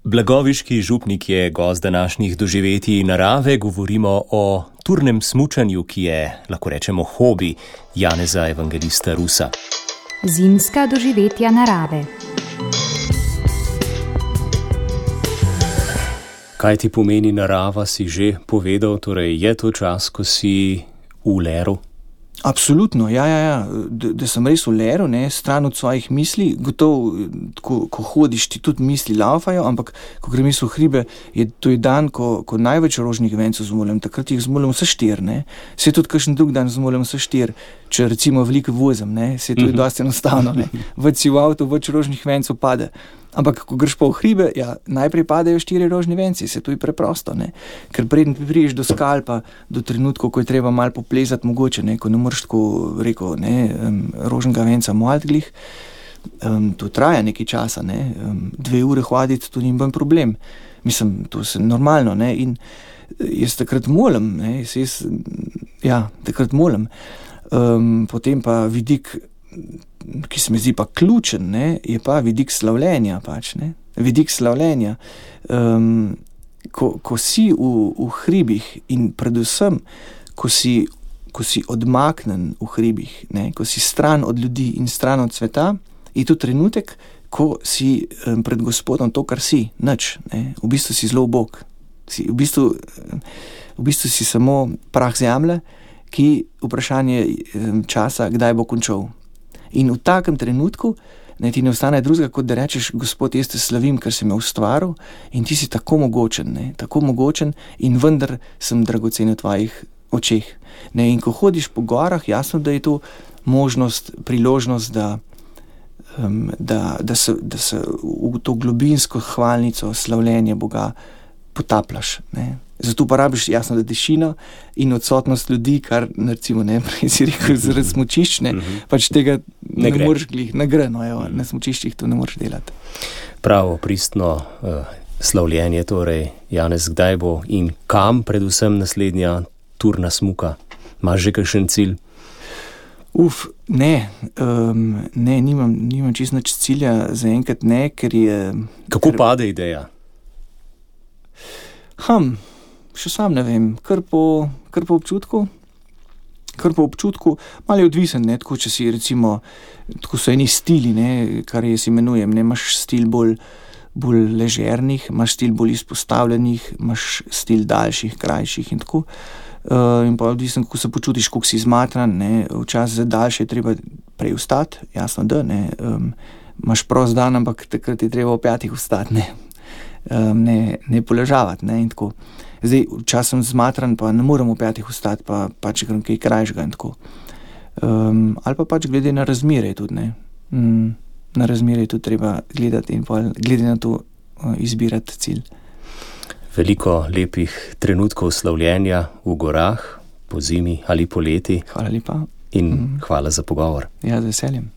Blagoviški župnik je gost današnjih doživetij narave. Govorimo o turnem smučanju, ki je, lahko rečemo, hobi Janeza Evangelista Rusa. Zimska doživetja narave. Kaj ti pomeni narava, si že povedal, torej je to čas, ko si v leru? Absolutno, ja. Da sem res v leru, stran od svojih misli. Gotovo, ko hodiš, ti tudi misli laufajo, ampak ko grem v hribe, to je dan, ko največ rožnih vencev zmolim. Takrat jih zmolim vse 4, Se tudi kakšen drug dan zmolim vse 4, če recimo veliko vozim, Se to je dosti enostavno, Več si v avtu, več rožnih vencev pade. Ampak, ko greš pa v hribe, najprej padejo 4 rožni venci, to je preprosto, Ker preden prideš do skal, pa do trenutkov, ko je treba malo poplezati mogoče, ko ne moreš tako, rožnega venca malt glih, to traja nekaj časa, 2 ure hoditi, to ni problem. Mislim, to je normalno, in jaz takrat molim, takrat molim. Potem pa vidik, ki se mi zdi pa ključen, je pa vidik slavljenja Vidik slavljenja. Ko si v hribih in predvsem, ko si odmaknen v hribih, ko si stran od ljudi in stran od sveta, je to trenutek, ko si pred Gospodom to, kar si, nič. V bistvu si zelo ubog. V bistvu si samo prah zemlje, ki vprašanje časa, kdaj bo končal. In v takem trenutku ti ne ostane drugega, kot da rečeš: Gospod, jaz te slavim, ker si me ustvaril in ti si tako mogočen in vendar sem dragocen v tvojih očeh. In ko hodiš po gorah, jasno, da je to možnost, priložnost, da se v to globinsko hvalnico slavljenja Boga potapljaš. Zato pa rabiš, jasno, da tišino in odsotnost ljudi, kar recimo prej si rekel zaradi smučišč, pač tega ne moreš glih, na smučiščih to ne moreš delati. Pravo, pristno slavljenje, torej, Janez, kdaj bo in kam predvsem naslednja turna smuka? Imaš že kakšen cilj? Nimam čisto nič cilja, zaenkrat ker je... Kako pade ideja? Še sam ne vem, kar po občutku. Malo je odvisen, tako če si recimo, tako so eni stili, kar jaz imenujem, imaš stil bolj ležernih, imaš stil bolj izpostavljenih, imaš stil daljših, krajših in tako. In pa odvisen, kako se počutiš, kako si izmatran, včasih za daljše je treba prej vstati, jasno da, imaš prost dan, ampak takrat je treba ob 5 vstati, ne poležavati, in tako. Zdaj, včasih sem zmatran, pa ne morem ob 5 vstati, pa pač grem kaj krajšega in tako. Ali pa pač glede na razmere tudi, Na razmere tudi treba gledati in pa glede na to izbirati cilj. Veliko lepih trenutkov slavljenja v gorah, po zimi ali poleti. Hvala lepa. In hvala za pogovor. Ja, z veseljem.